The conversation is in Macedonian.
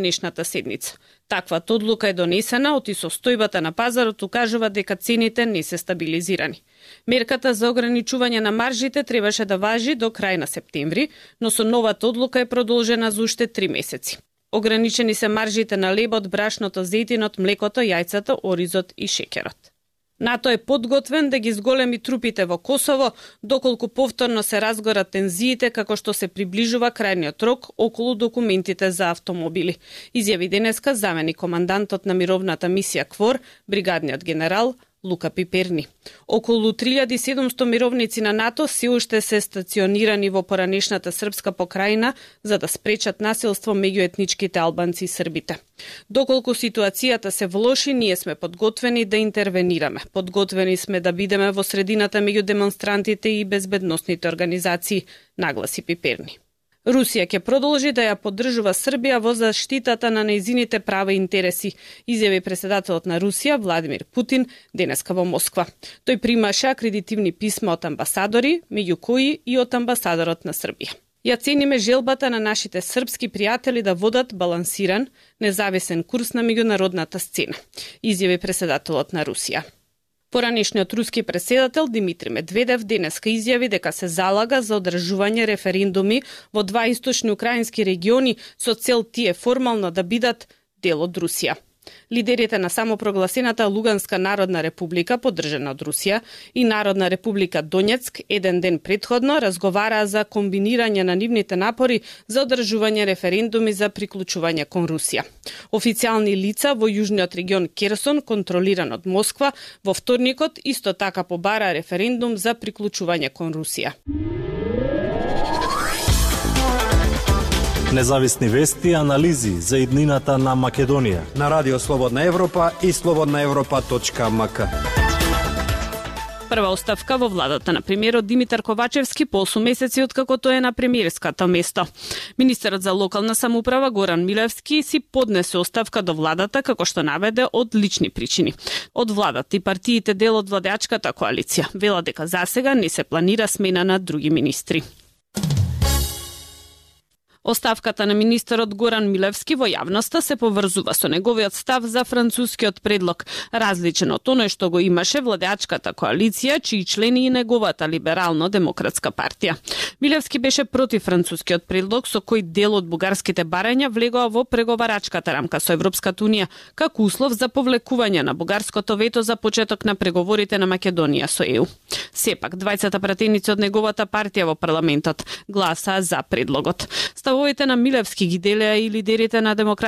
Нешната седница. Таквата одлука е донесена оти состојбата на пазарот укажува дека цените не се стабилизирани. Мерката за ограничување на маржите требаше да важи до крај на септември, но со новата одлука е продолжена за уште 3 месеци. Ограничени се маржите на лебот, брашното, зејтинот, млекото, јајцата, оризот и шеќерот. НАТО е подготвен да ги зголеми трупите во Косово, доколку повторно се разгорат тензиите како што се приближува крајниот рок околу документите за автомобили. Изјави денеска заменик командантот на мировната мисија КФОР, бригадниот генерал Лука Пиперни. Околу 3700 мировници на НАТО се уште се стационирани во поранешната српска покрајина за да спречат насилство меѓу етничките албанци и србите. Доколку ситуацијата се влоши, ние сме подготвени да интервенираме. Подготвени сме да бидеме во средината меѓу демонстрантите и безбедносните организации, нагласи Пиперни. Русија ќе продолжи да ја поддржува Србија во заштитата на нејзините права и интереси, изјави председателот на Русија Владимир Путин денеска во Москва. Тој примаше акредитивни писма од амбасадори, меѓу кои и од амбасадорот на Србија. Ја цениме желбата на нашите српски пријатели да водат балансиран, независен курс на меѓународната сцена, изјави председателот на Русија. Поранешниот руски претседател Димитри Медведев денеска изјави дека се залага за одржување референдуми во 2 источни украински региони со цел тие формално да бидат дел од Русија. Лидерите на самопрогласената Луганска народна република, поддржана од Русија, и Народна република Донецк еден ден претходно разговараа за комбинирање на нивните напори за одржување референдуми за приклучување кон Русија. Официјални лица во јужниот регион Керсон, контролиран од Москва, во вторникот исто така побара референдум за приклучување кон Русија. Независни вести и анализи за иднината на Македонија на Радио Слободна Европа и slobodnaevropa.mk. Прва оставка во владата на премиерот Димитар Ковачевски по 8 месеци откако тој е на премиерското место. Министерот за локална самоуправа Горан Милевски си поднесе оставка до владата како што наведе од лични причини. Од владата и партиите дел од владеачката коалиција вела дека засега не се планира смена на други министри. Оставката на министерот Горан Милевски во јавноста се поврзува со неговиот став за францускиот предлог, различен од оној што го имаше владеачката коалиција, чии члени и неговата либерално-демократска партија. Милевски беше против францускиот предлог со кој дел од бугарските барања влегоа во преговарачката рамка со Европската унија, како услов за повлекување на бугарското вето за почеток на преговорите на Македонија со ЕУ. Сепак, двајцата пратеници од неговата партија во парламентот гласаа за предлогот. Ставовите на Милевски ги делеа и лидерите на демократската